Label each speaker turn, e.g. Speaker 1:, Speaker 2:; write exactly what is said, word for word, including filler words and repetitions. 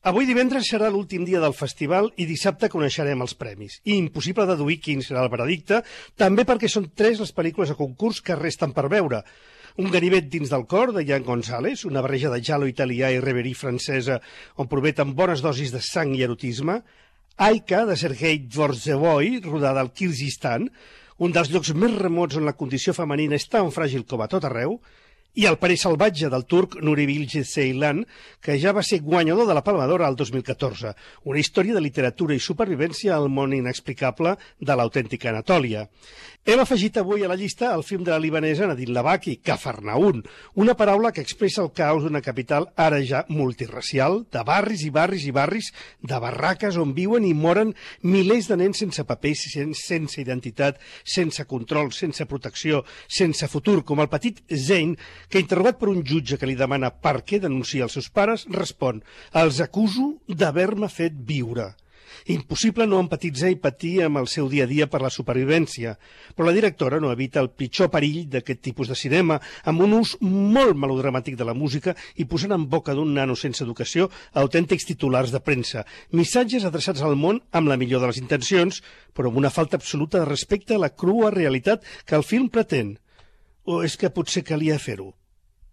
Speaker 1: Avui divendres serà l'últim dia del festival i dissabte coneixerem els premis. I impossible deduir quin serà el veredicte, també perquè són tres les pel·lícules a concurs que resten per veure. Un ganivet dins del cor, de Jan González, una barreja de giallo italià i reverie francesa on prometen bones dosis de sang i erotisme. Aika, de Sergei Dvorzevoy, rodada al Kirguizistan, un dels llocs més remots on la condició femenina és tan fràgil com a tot arreu, i El Parer salvatge, del turc Nuri Bilge Ceylan, que ja va ser guanyador de la Palma d'Or al dos mil catorze, una història de literatura i supervivència al món inexplicable de l'autèntica Anatòlia. Hem afegit avui a la llista el film de la libanesa Nadine Labaki, Cafarnaún, una paraula que expressa el caos d'una capital ara ja multirracial, de barris i barris i barris, de barraques on viuen i moren milers de nens sense papers, sense identitat, sense control, sense protecció, sense futur, com el petit Zain, que interrogat per un jutge que li demana per què denuncia els seus pares, respon: els acuso d'haver-me fet viure. Impossible no empatitzar i patir amb el seu dia a dia per la supervivència, però la directora no evita el pitjor perill d'aquest tipus de cinema, amb un ús molt melodramàtic de la música i posant en boca d'un nano sense educació autèntics titulars de premsa, missatges adreçats al món amb la millor de les intencions, però amb una falta absoluta de respecte a la crua realitat que el film pretén. O és que potser calia fer-ho?